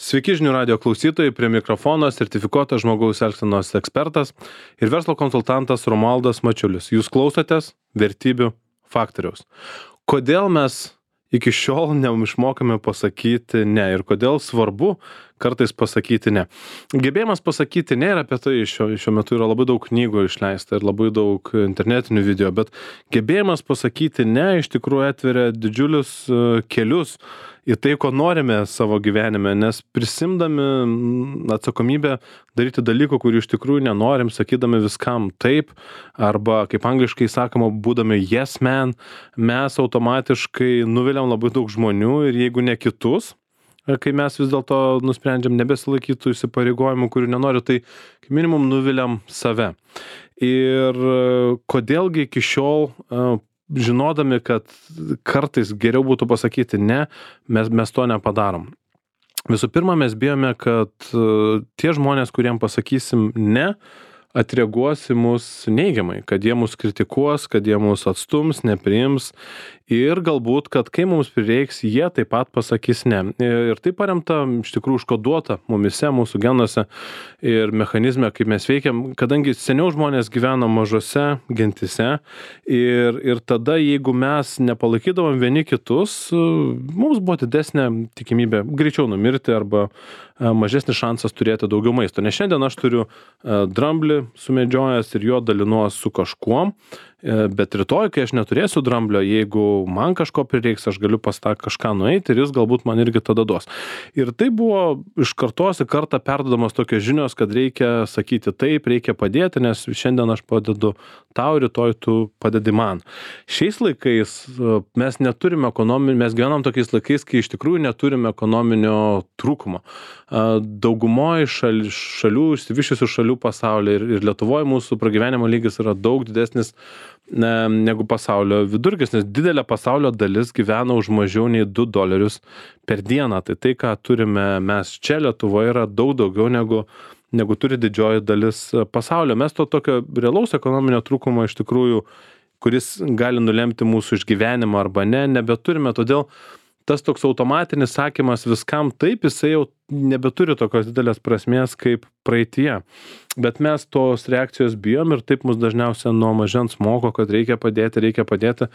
Sveiki žinių radijo klausytojai, prie mikrofono sertifikuotas žmogaus elgsenos ekspertas ir verslo konsultantas Romualdas Mačiulis. Jūs klausotės vertybių faktoriaus. Kodėl mes iki šiol neišmokame pasakyti ne ir kodėl svarbu kartais pasakyti ne? Gebėjimas pasakyti ne ir apie tai šiuo metu yra labai daug knygų išleista ir labai daug internetinių video, bet gebėjimas pasakyti ne iš tikrųjų atveria didžiulius kelius į tai, ko norime savo gyvenime, nes prisimdami atsakomybę daryti dalykų, kurių iš tikrųjų nenorim, sakydami viskam taip, arba, kaip angliškai sakoma, būdami yes man, mes automatiškai nuviliam labai daug žmonių ir jeigu ne kitus, kai mes vis dėlto nusprendžiam nebesilaikyti tų įsipareigojimų, kurių nenoriu, tai kaip minimum nuviliam save. Ir kodėlgi iki šiol žinodami, kad kartais geriau būtų pasakyti ne, mes to nepadarom. Visų pirma, mes bijome, kad tie žmonės, kuriem pasakysim ne, atreaguos į mus neigiamai, kad jie mus kritikuos, kad jie mus atstums, nepriims ir galbūt, kad kai mums prireiks, jie taip pat pasakys ne. Ir tai paremta, iš tikrųjų, užkoduota mumise, mūsų genuose ir mechanizme, kaip mes veikiam, kadangi seniau žmonės gyveno mažose gentise ir tada, jeigu mes nepalaikydavom vieni kitus, mums buvo didesnė tikimybė greičiau numirti arba mažesnis šansas turėti daugiau maisto. Nes šiandien aš turiu dramblį sumedžiojęs ir jo dalinuos su kažkuom, bet rytoj, kai aš neturėsiu dramblio, jeigu man kažko prireiks, aš galiu pas tą kažką nueiti ir jis galbūt man irgi tada duos. Ir tai buvo iš kartos į kartą perduodamos tokios žinios, kad reikia sakyti taip, reikia padėti, nes šiandien aš padedu tau, rytoj tu padedi man. Šiais laikais mes neturime mes gyvenam tokiais laikais, kai iš tikrųjų neturime ekonominio trūkumo. Daugumoje šalių, išsivysčiusių šalių pasaulyje ir Lietuvoje mūsų pragyvenimo lygis yra daug didesnis negu pasaulio vidurkis, nes didelė pasaulio dalis gyvena už mažiau nei $2 per dieną. Tai, ką turime mes čia Lietuvoje, yra daug daugiau negu turi didžioji dalis pasaulio. Mes to tokio realaus ekonominio trūkumo iš tikrųjų, kuris gali nulemti mūsų išgyvenimą arba ne, nebeturime. Todėl tas toks automatinis sakymas viskam taip, jisai jau nebeturi tokios didelės prasmės kaip praeityje. Bet mes tos reakcijos bijom ir taip mus dažniausiai nuo mažens moko, kad reikia padėti,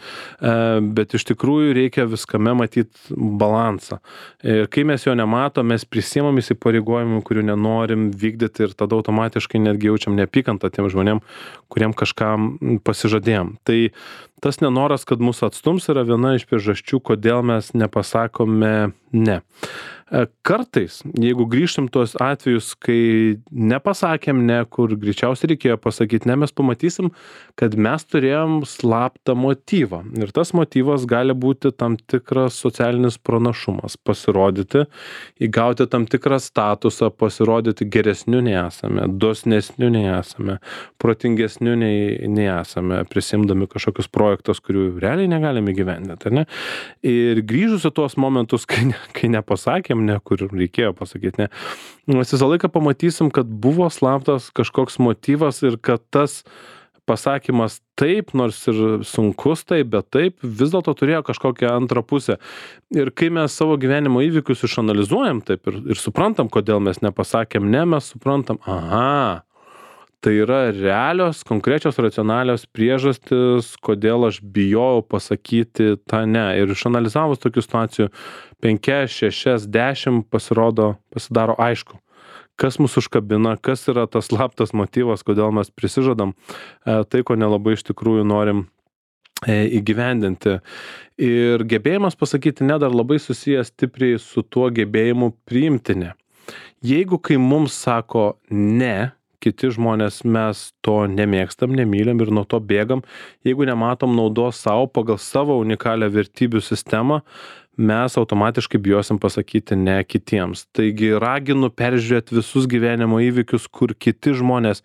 bet iš tikrųjų reikia viskame matyti balansą. Ir kai mes jo nematom, mes prisiimam įsipareigojimų, kurių nenorim vykdyti ir tada automatiškai netgi jaučiam neapykantą tiem žmonėm, kuriem kažkam pasižadėjom. Tai tas nenoras, kad mus atstums, yra viena iš priežasčių, kodėl mes nepasakome ne. Kartais, jeigu grįžtum tuos atvejus, kai nepasakėm ne, kur greičiausiai reikėjo pasakyti ne, mes pamatysim, kad mes turėjom slaptą motyvą. Ir tas motyvas gali būti tam tikras socialinis pranašumas, pasirodyti, įgauti tam tikrą statusą, pasirodyti geresniu nei esame, dosnesniu nei esame, protingesniu nei esame, prisimdami kažkokius projektus, kurių realiai negalime įgyvendinti, ar ne? Ir grįžus į tuos momentus, kai nepasakėm ne, kur reikėjo pasakyti ne, mes visą laiką pamatysim, kad buvo slaptas kažkoks motyvas ir kad tas pasakymas taip, nors ir sunkus taip, bet taip, vis dėlto turėjo kažkokią antrą pusę. Ir kai mes savo gyvenimo įvykius išanalizuojam taip ir suprantam, kodėl mes nepasakėm ne, mes suprantam, tai yra realios, konkrečios, racionalios priežastis, kodėl aš bijojau pasakyti tą ne. Ir išanalizavus tokių situacijų 5, 6, 10 pasidaro aišku, kas mus užkabina, kas yra tas slaptas motyvas, kodėl mes prisižadam tai, ko nelabai iš tikrųjų norim įgyvendinti. Ir gebėjimas pasakyti ne dar labai susijęs stipriai su tuo gebėjimu priimti ne. Jeigu kai mums sako ne, kiti žmonės, mes to nemėgstam, nemylim ir nuo to bėgam, jeigu nematom naudos savo pagal savo unikalią vertybių sistemą, mes automatiškai bijosim pasakyti ne kitiems. Taigi raginu peržiūrėti visus gyvenimo įvykius, kur kiti žmonės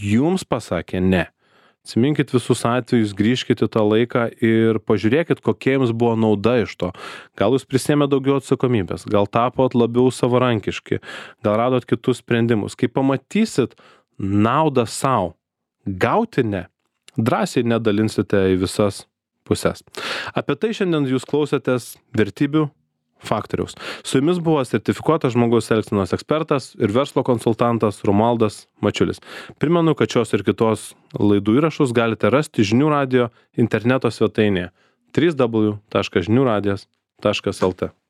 jums pasakė ne. Atsiminkit visus atvejus, grįžkite tą laiką ir pažiūrėkit, kokia jums buvo nauda iš to. Gal jūs prisėmė daugiau atsakomybės, gal tapot labiau savarankiški, gal radot kitus sprendimus. Kai pamatysit naudą savo, gauti ne, drąsiai nedalinsite į visas pusės. Apie tai šiandien jūs klausėtės vertybių faktoriaus. Su jumis buvo sertifikuotas žmogaus elgsenos ekspertas ir verslo konsultantas Romualdas Mačiulis. Primenu, kad šios ir kitos laidų įrašus galite rasti Žinių radijo interneto svetainėje www.žiniuradijas.lt.